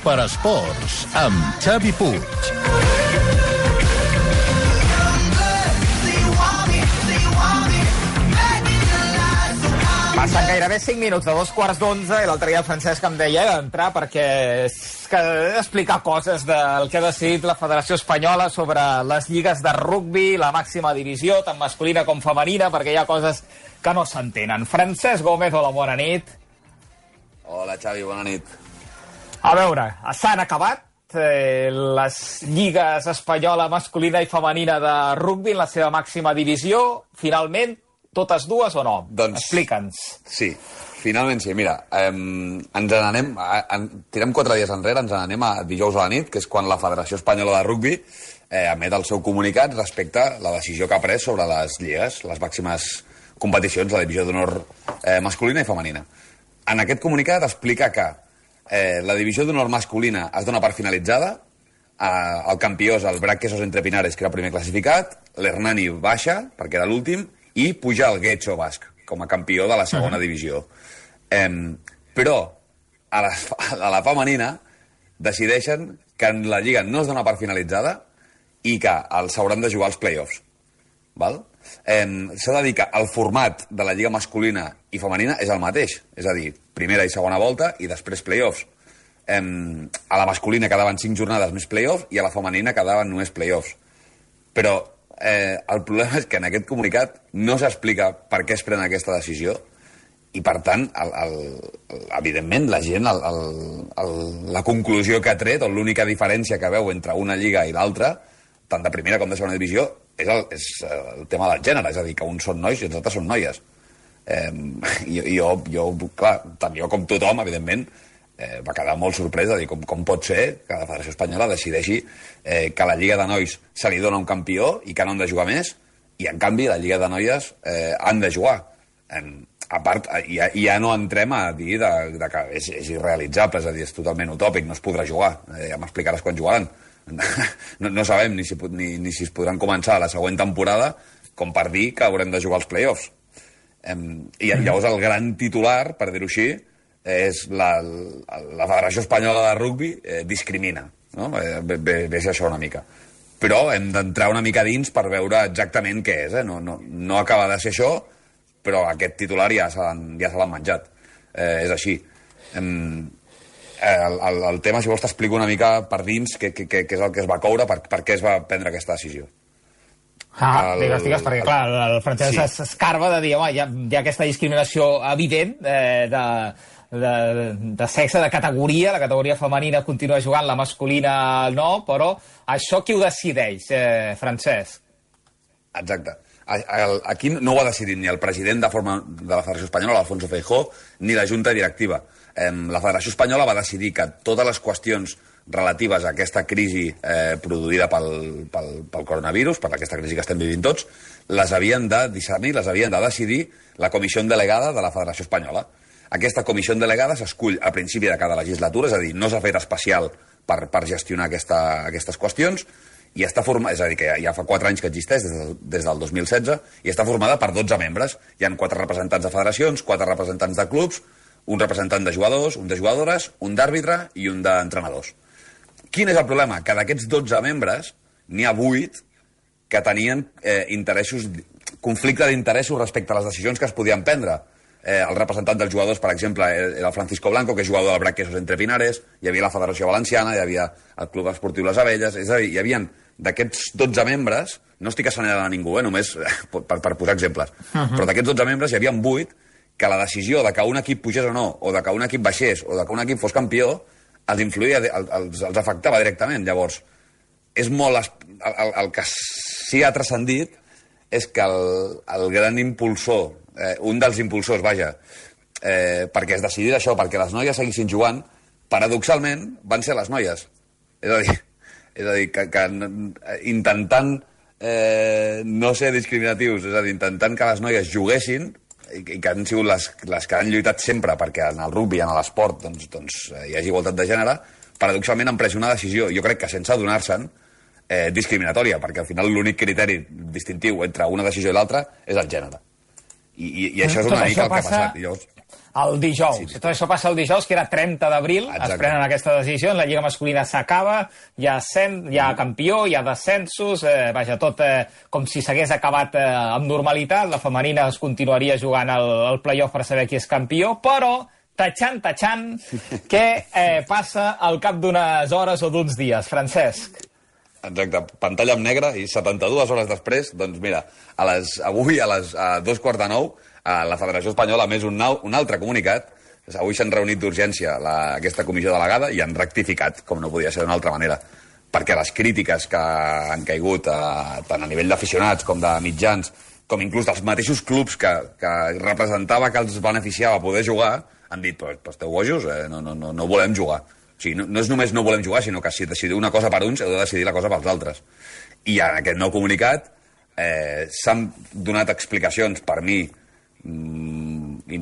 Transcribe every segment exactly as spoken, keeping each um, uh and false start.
Superesports, amb Xavi Puig. Passen gairebé cinc minuts de dos quarts d'onze i l'altre dia el Francesc em deia d'entrar perquè és que he d'explicar coses del que ha decidit la Federació Espanyola sobre les lligues de rugbi, la màxima divisió, tant masculina com femenina, perquè hi ha coses que no s'entenen. Francesc Gómez, hola, bona nit. Hola, Xavi, bona nit. A veure, s'han acabat eh, les lligues espanyola masculina i femenina de rugbi en la seva màxima divisió, finalment. Totes dues o no? Doncs, explica'ns. Sí, finalment sí. Mira, eh, ens n'anem, en, tirem quatre dies enrere, ens n'anem a dijous a la nit, que és quan la Federació Espanyola de Rugbi eh, emet el seu comunicat respecte a la decisió que ha pres sobre les lligues, les màximes competicions, la divisió d'honor eh, masculina i femenina. En aquest comunicat explica que eh, la divisió d'honor masculina es dona per finalitzada, eh, el campió és el Brac Quesos Entre Pinares, que era el primer classificat, l'Hernani baixa, perquè era l'últim, i puja el Getxo Basc com a campió de la segona uh-huh. divisió. Eh, però a la, a la femenina decideixen que la lliga no es dona per finalitzada i que s'hauran de jugar els play-offs. Val? Eh, S'ha de dir que el format de la lliga masculina i femenina és el mateix, és a dir, primera i segona volta i després play-offs. Eh, a la masculina quedaven cinc jornades més play-offs i a la femenina quedaven només play-offs. Però Eh, el problema és que en aquest comunicat no s'explica per què es pren aquesta decisió i, per tant, el, el, evidentment, la gent, el, el, el, la conclusió que ha tret, o l'única diferència que veu entre una lliga i l'altra, tant de primera com de segona divisió, és el, és el tema del gènere, és a dir, que uns són nois i els altres són noies. Eh, i, jo, jo, clar, tant jo com tothom, evidentment, Eh, va quedar molt sorprès de dir com, com pot ser que la Federació Espanyola decideixi eh, que a la Lliga de Nois se li dona un campió i que no han de jugar més, i en canvi la Lliga de Noies eh, han de jugar. Eh, a part, ja, ja no entrem a dir de, de que és, és irrealitzable, és a dir, és totalment utòpic, no es podrà jugar. Eh, ja m'explicaràs quan jugaran. no, no sabem ni si, ni, ni si es podran començar la següent temporada com per dir que haurem de jugar als play-offs. Eh, I llavors el gran titular, per dir-ho així, és la, la Federació Espanyola de Rugbi eh, discrimina, no? Eh, ve, ve ser això una mica. Però hem d'entrar una mica dins per veure exactament què és. Eh? No, no, no acaba de ser això, però aquest titular ja se l'han ja se l'han menjat. Eh, és així. Eh, el, el, el tema, si vols, t'explico una mica per dins què, què, què és el que es va coure, per, per què es va prendre aquesta decisió. Ah, el, digues, digues, perquè, clar, el Francesc sí. s'escarba de dir, home, hi ha, hi ha aquesta discriminació evident eh, de, de, de sexe, de categoria, la categoria femenina continua jugant, la masculina no, però això qui ho decideix, eh, Francesc? Exacte. Aquí no ho ha decidit ni el president de, forma, de la Federació Espanyola, Alfonso Feijó, ni la Junta Directiva. La Federació Espanyola va decidir que totes les qüestions relatives a aquesta crisi eh, produïda pel, pel, pel coronavirus, per aquesta crisi que estem vivint tots, les havien de discernir, les havien de decidir la comissió delegada de la Federació Espanyola. Aquesta comissió delegada s'escull a principi de cada legislatura, és a dir, no s'ha fet especial per, per gestionar aquesta, aquestes qüestions, i està formada, és a dir, que ja, ja fa quatre anys que existeix, des, del, des del dos mil setze, i està formada per dotze membres. Hi ha quatre representants de federacions, quatre representants de clubs, un representant de jugadors, un de jugadores, un d'àrbitre i un d'entrenadors. Quin és el problema? Que d'aquests dotze membres n'hi ha vuit que tenien eh, interessos, conflicte d'interessos respecte a les decisions que es podien prendre. Eh, el representant dels jugadors, per exemple, era el Francisco Blanco, que és jugador del Brac Quesos Entre Pinares, hi havia la Federació Valenciana, hi havia el Club Esportiu Les Abelles, és a dir, hi havia d'aquests dotze membres, no estic assenyalant a ningú, eh, només per, per posar exemples, uh-huh. però d'aquests dotze membres hi havia vuit que la decisió de que un equip pugés o no, o de que un equip baixés, o de que un equip fos campió, els influïa, els, els afectava directament. Llavors, és molt... El, el, el que sí ha transcendit és que el, el gran impulsor, eh, un dels impulsors, vaja, eh, perquè es decidís això, perquè les noies seguissin jugant, paradoxalment van ser les noies. És a dir, és a dir que, que intentant eh, no ser discriminatius, és a dir, intentant que les noies juguessin, i que han sigut les, les que han lluitat sempre perquè en el rugbi, en l'esport, doncs, doncs, hi hagi igualtat de gènere, paradoxalment han pres una decisió, jo crec que sense adonar-se'n, eh, discriminatòria, perquè al final l'únic criteri distintiu entre una decisió i l'altra és el gènere. I, i, i això és una tot mica el que passa... ha passat. I llavors... el dijous. Sí, sí. Tot això passa el dijous, que era trenta d'abril, es prenen aquesta decisió, la Lliga masculina s'acaba, hi ha, cent, hi ha campió, hi ha descensos, eh, vaja, tot eh, com si s'hagués acabat eh, amb normalitat, la femenina es continuaria jugant el, el play-off per saber qui és campió, però tatxant, tatxant, què eh, passa al cap d'unes hores o d'uns dies, Francesc? Exacte, pantalla en negre i setanta-dues hores després, doncs mira, a les, avui a les a dos quarts de nou, a la Federació Espanyola ha més un, nou, un altre comunicat. Avui s'han reunit d'urgència aquesta comissió delegada i han rectificat, com no podia ser d'una altra manera, perquè les crítiques que han caigut a, tant a nivell d'aficionats com de mitjans, com inclús dels mateixos clubs que, que representava que els beneficiava poder jugar, han dit, pues, pues esteu bojos, eh? no, no, no, no volem jugar. O sigui, no, no és només no volem jugar, sinó que si decidiu una cosa per uns, heu de decidir la cosa pels altres. I en aquest nou comunicat eh, s'han donat explicacions, per mi, mm,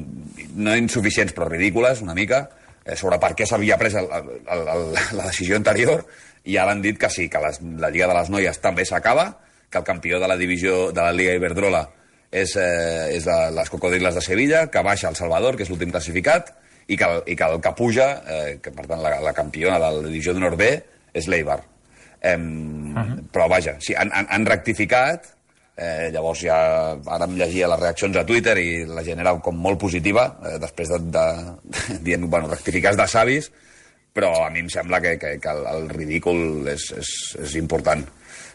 no insuficients però ridícules una mica, eh, sobre per què s'havia pres el, el, el, la decisió anterior, i ara han dit que sí, que les, la Lliga de les Noies també s'acaba, que el campió de la divisió de la Liga Iberdrola és, eh, és de les Cocodriles de Sevilla, que baixa el Salvador, que és l'últim classificat, i que, el, i que el que puja, eh, que per tant la, la campiona de la divisió d'honor B és l'Eibar. Eh, uh -huh. Però vaja, sí, han, han, han rectificat. Eh, llavors ja ara em llegia les reaccions a Twitter i la gent era com molt positiva, eh, després de, de, de dient, bueno, rectificats de savis, però a mi em sembla que, que, que el, el ridícul és, és, és important.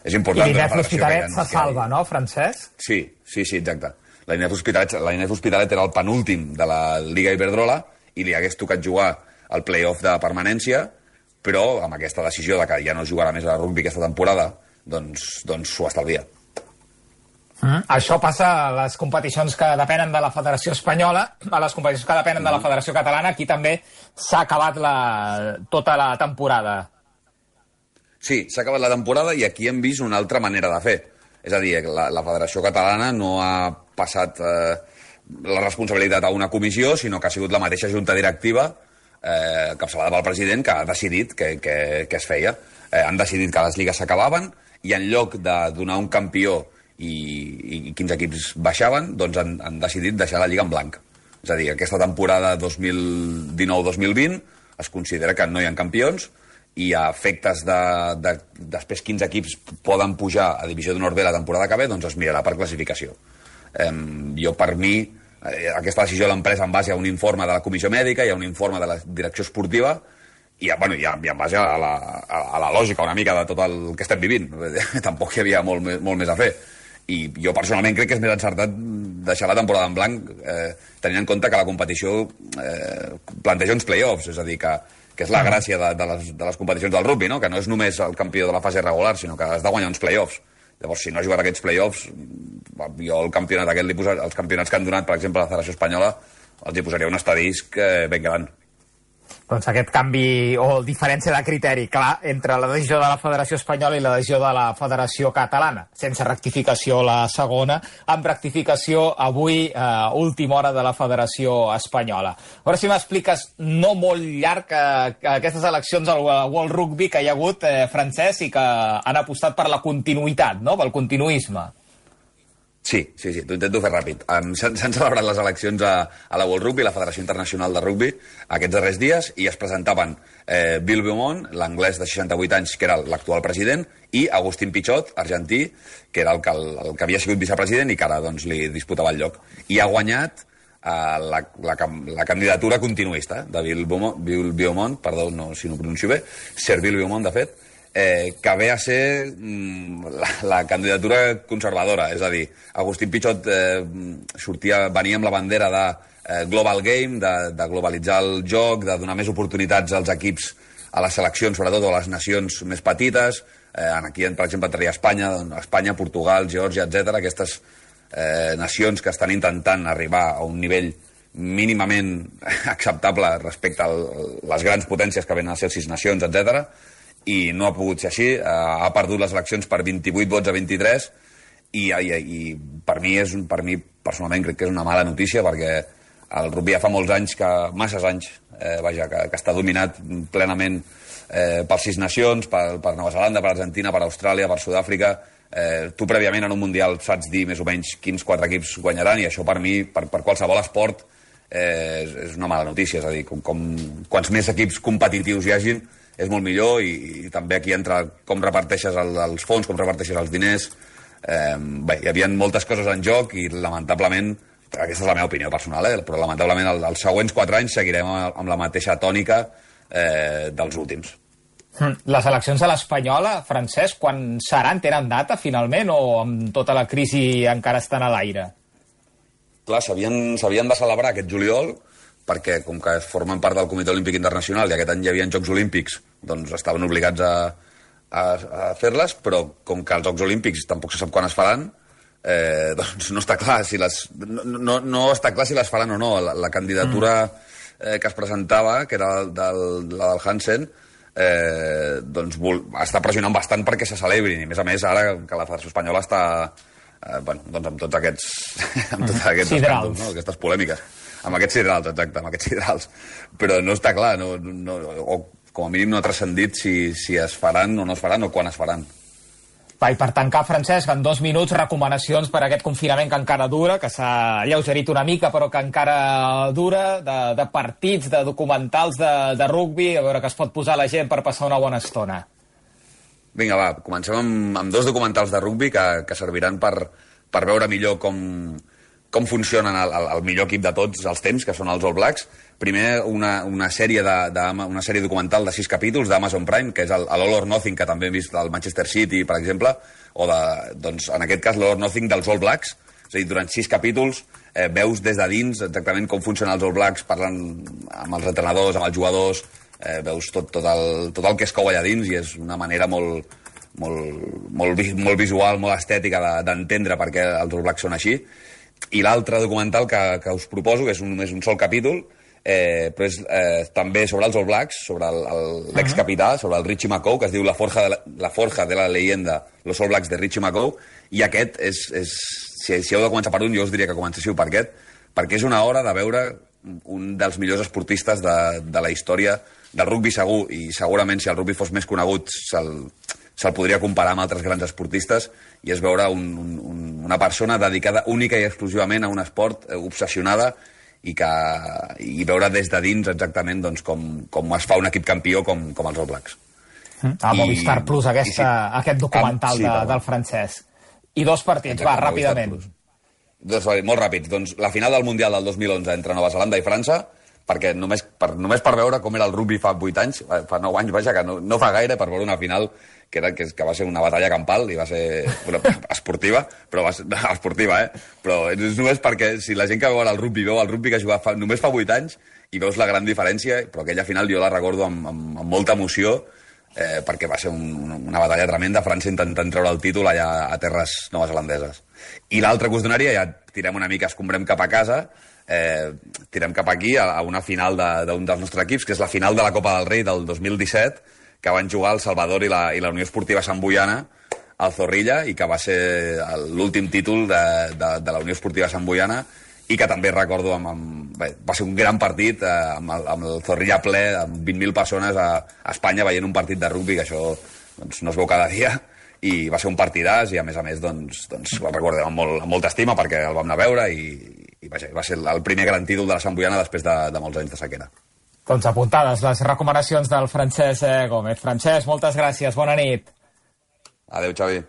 És important. I l'Inés L'Hospitalet se salva, no, Francesc? Sí, sí, sí, exacte. La Inés L'Hospitalet era el penúltim de la Liga Iberdrola i li hagués tocat jugar el play-off de permanència, però amb aquesta decisió de que ja no jugarà més a rugby aquesta temporada, doncs, doncs s'ho estalvia. Mm. Això passa a les competicions que depenen de la Federació Espanyola, a les competicions que depenen mm. de la Federació Catalana. Aquí també s'ha acabat la, tota la temporada. Sí, s'ha acabat la temporada i aquí hem vist una altra manera de fer. És a dir, la, la Federació Catalana no ha passat eh, la responsabilitat a una comissió, sinó que ha sigut la mateixa junta directiva, eh, capçalada pel president, que ha decidit que, que, que es feia. Eh, han decidit que les lligues s'acabaven i en lloc de donar un campió i, i quins equips baixaven, doncs han, han decidit deixar la Lliga en blanc. És a dir, aquesta temporada dos mil dinou dos mil vint es considera que no hi ha campions i a efectes de, de després quins equips poden pujar a Divisió d'Honor B la temporada que ve, doncs es mirarà per classificació. Eh, jo, per mi, eh, aquesta decisió l'han pres en base a un informe de la Comissió Mèdica i a un informe de la Direcció Esportiva i, bueno, i, i en base a la, a, a la lògica una mica de tot el que estem vivint. Tampoc hi havia molt, molt més a fer. I jo personalment crec que és més encertat deixar la temporada en blanc eh, tenint en compte que la competició eh, planteja uns play-offs, és a dir, que, que és la gràcia de, de, les, de les competicions del rugby, no? Que no és només el campió de la fase regular, sinó que has de guanyar uns play-offs. Llavors, si no has jugat aquests play-offs, jo el campionat aquest, li posa, els campionats que han donat, per exemple, a la Federació Espanyola, els hi posaria un estadisc eh, ben gran. Doncs aquest canvi o diferència de criteri, clar, entre la decisió de la Federació Espanyola i la decisió de la Federació Catalana. Sense rectificació la segona, amb rectificació avui, eh, última hora de la Federació Espanyola. A veure si m'expliques, no molt llarg, que, que aquestes eleccions al World Rugby que hi ha hagut, eh, Francesc, i que han apostat per la continuïtat, no?, pel continuisme. Sí, sí, sí, t'ho intento fer ràpid. Um, S'han celebrat les eleccions a, a la World Rugby, la Federació Internacional de Rugby, aquests darrers dies, i es presentaven eh, Bill Beaumont, l'anglès de seixanta-vuit anys, que era l'actual president, i Agustín Pichot, argentí, que era el que, el, el que havia sigut vicepresident i que ara doncs, li disputava el lloc. I ha guanyat eh, la, la, la candidatura continuista de Bill Beaumont, Bill Beaumont, perdó no, si no pronuncio bé, Sir Bill Beaumont, de fet, Eh, que ve a ser mm, la, la candidatura conservadora, és a dir, Agustín Pichot eh, sortia, venia amb la bandera de eh, Global Game, de, de globalitzar el joc, de donar més oportunitats als equips, a les seleccions, sobretot a les nacions més petites, eh, aquí, per exemple, entraria Espanya, Espanya, Portugal, Geòrgia, etcètera, aquestes eh, nacions que estan intentant arribar a un nivell mínimament acceptable respecte a les grans potències que venen a ser sis nacions, etcètera, i no ha pogut ser així, ha perdut les eleccions per vint-i-vuit vots a vint-i-tres i, i, i per mi és per mi personalment crec que és una mala notícia perquè el rugby ja fa molts anys, que masses anys, eh, vaja, que, que està dominat plenament eh, per sis nacions, per, per Nova Zelanda, per Argentina, per Austràlia, per Sud-àfrica. Eh, tu prèviament en un Mundial saps dir més o menys quins quatre equips guanyaran i això per mi, per, per qualsevol esport, eh, és, és una mala notícia. És a dir, com, com, quants més equips competitius hi hagin, és molt millor, i, i també aquí entra com reparteixes el, els fons, com reparteixes els diners. Eh, bé, hi havia moltes coses en joc i, lamentablement, aquesta és la meva opinió personal, eh, però lamentablement el, els següents quatre anys seguirem amb, amb la mateixa tònica eh, dels últims. Les eleccions a l'Espanyola, Francesc, quan seran? Tenen data, finalment, o amb tota la crisi encara estan a l'aire? Clar, s'havien de celebrar aquest juliol, perquè com que formen part del Comitè Olímpic Internacional i aquest any hi havia Jocs Olímpics, doncs estaven obligats a, a, a fer-les, però com que els Jocs Olímpics tampoc se sap quan es faran, eh, doncs no està clar si les, no, no, no està clar si les faran o no. La, la candidatura eh, que es presentava, que era del, la del Hansen, eh, doncs vol, està pressionant bastant perquè se celebrin, i a més a més ara que la Federació Espanyola està eh, bueno, doncs amb tots aquests amb tots aquests escàndols, no? Aquestes polèmiques, amb aquests sidrals, exacte, amb aquests sidrals, però no està clar, no, no, o com a mínim no ha transcendit si, si es faran o no es faran o quan es faran. Va, i per tancar, Francesc, en dos minuts, recomanacions per a aquest confinament que encara dura, que s'ha alleugerit una mica, però que encara dura, de, de partits, de documentals de, de rugbi, a veure que es pot posar la gent per passar una bona estona. Vinga, va, comencem amb, amb dos documentals de rugbi que, que serviran per, per veure millor com, com funcionen el, el, el millor equip de tots els temps, que són els All Blacks. Primer, una, una, sèrie de, de, una sèrie documental de sis capítols d'Amazon Prime, que és el, el All or Nothing, que també hem vist del Manchester City, per exemple, o de, doncs, en aquest cas, l'All or Nothing dels All Blacks. És a dir, durant sis capítols eh, veus des de dins exactament com funcionen els All Blacks, parlant amb els entrenadors, amb els jugadors, eh, veus tot, tot, el, tot el que es cou allà dins, i és una manera molt, molt, molt, molt visual, molt estètica d'entendre per què els All Blacks són així. I l'altre documental que, que us proposo, que és un, només un sol capítol, Eh, però és eh, també sobre els All Blacks, sobre l'ex-capità, sobre el Richie McCaw, que es diu La forja de la, la, forja de la leyenda, los All Blacks de Richie McCaw, i aquest és, és si, si heu de començar per un, jo us diria que comencéssiu per aquest, perquè és una hora de veure un dels millors esportistes de, de la història del rugbi, segur, i segurament si el rugbi fos més conegut se'l se'l podria comparar amb altres grans esportistes, i és veure un, un, una persona dedicada única i exclusivament a un esport, eh, obsessionada, i, que, i veure des de dins exactament doncs, com, com es fa un equip campió com, com els All Blacks. A Movistar Plus, aquesta, sí, aquest documental ah, sí, de, del Francesc. I dos partits, exacte, va, ràpidament. Dos, molt ràpids. Doncs la final del Mundial del dos mil onze entre Nova Zelanda i França, perquè només per, només per veure com era el rugby fa vuit anys, fa nou anys, vaja, que no, no fa gaire, per veure una final que, era, que, que va ser una batalla campal i va ser una, esportiva, però va ser esportiva, eh? Però és només perquè si la gent que veu el rugby veu el rugby que jugava fa, només fa vuit anys i veus la gran diferència, però aquella final jo la recordo amb, amb, amb molta emoció, eh, perquè va ser un, una batalla tremenda, França intentant treure el títol allà a terres neozelandeses. I l'altre que us donaria, ja tirem una mica, escombrem cap a casa, eh, tirem cap aquí a, a una final d'un de, dels nostres equips, que és la final de la Copa del Rei del dos mil disset, que van jugar el Salvador i la, i la Unió Esportiva Sant Boiana al Zorrilla, i que va ser l'últim títol de, de, de la Unió Esportiva Sant Boiana, i que també recordo amb, amb, bé, va ser un gran partit eh, amb, el, amb el Zorrilla ple, amb vint mil persones a, a Espanya veient un partit de rugbi, que això doncs, no es veu cada dia, i va ser un partidàs, i a més a més doncs, doncs el recordem amb, molt, amb molta estima perquè el vam anar a veure, i, i vaja, va ser el primer gran títol de la Sant Boiana després de, de molts anys de sequera. Doncs apuntades les recomanacions del Francesc Gómez. Francesc, moltes gràcies, bona nit. Adéu, Xavi.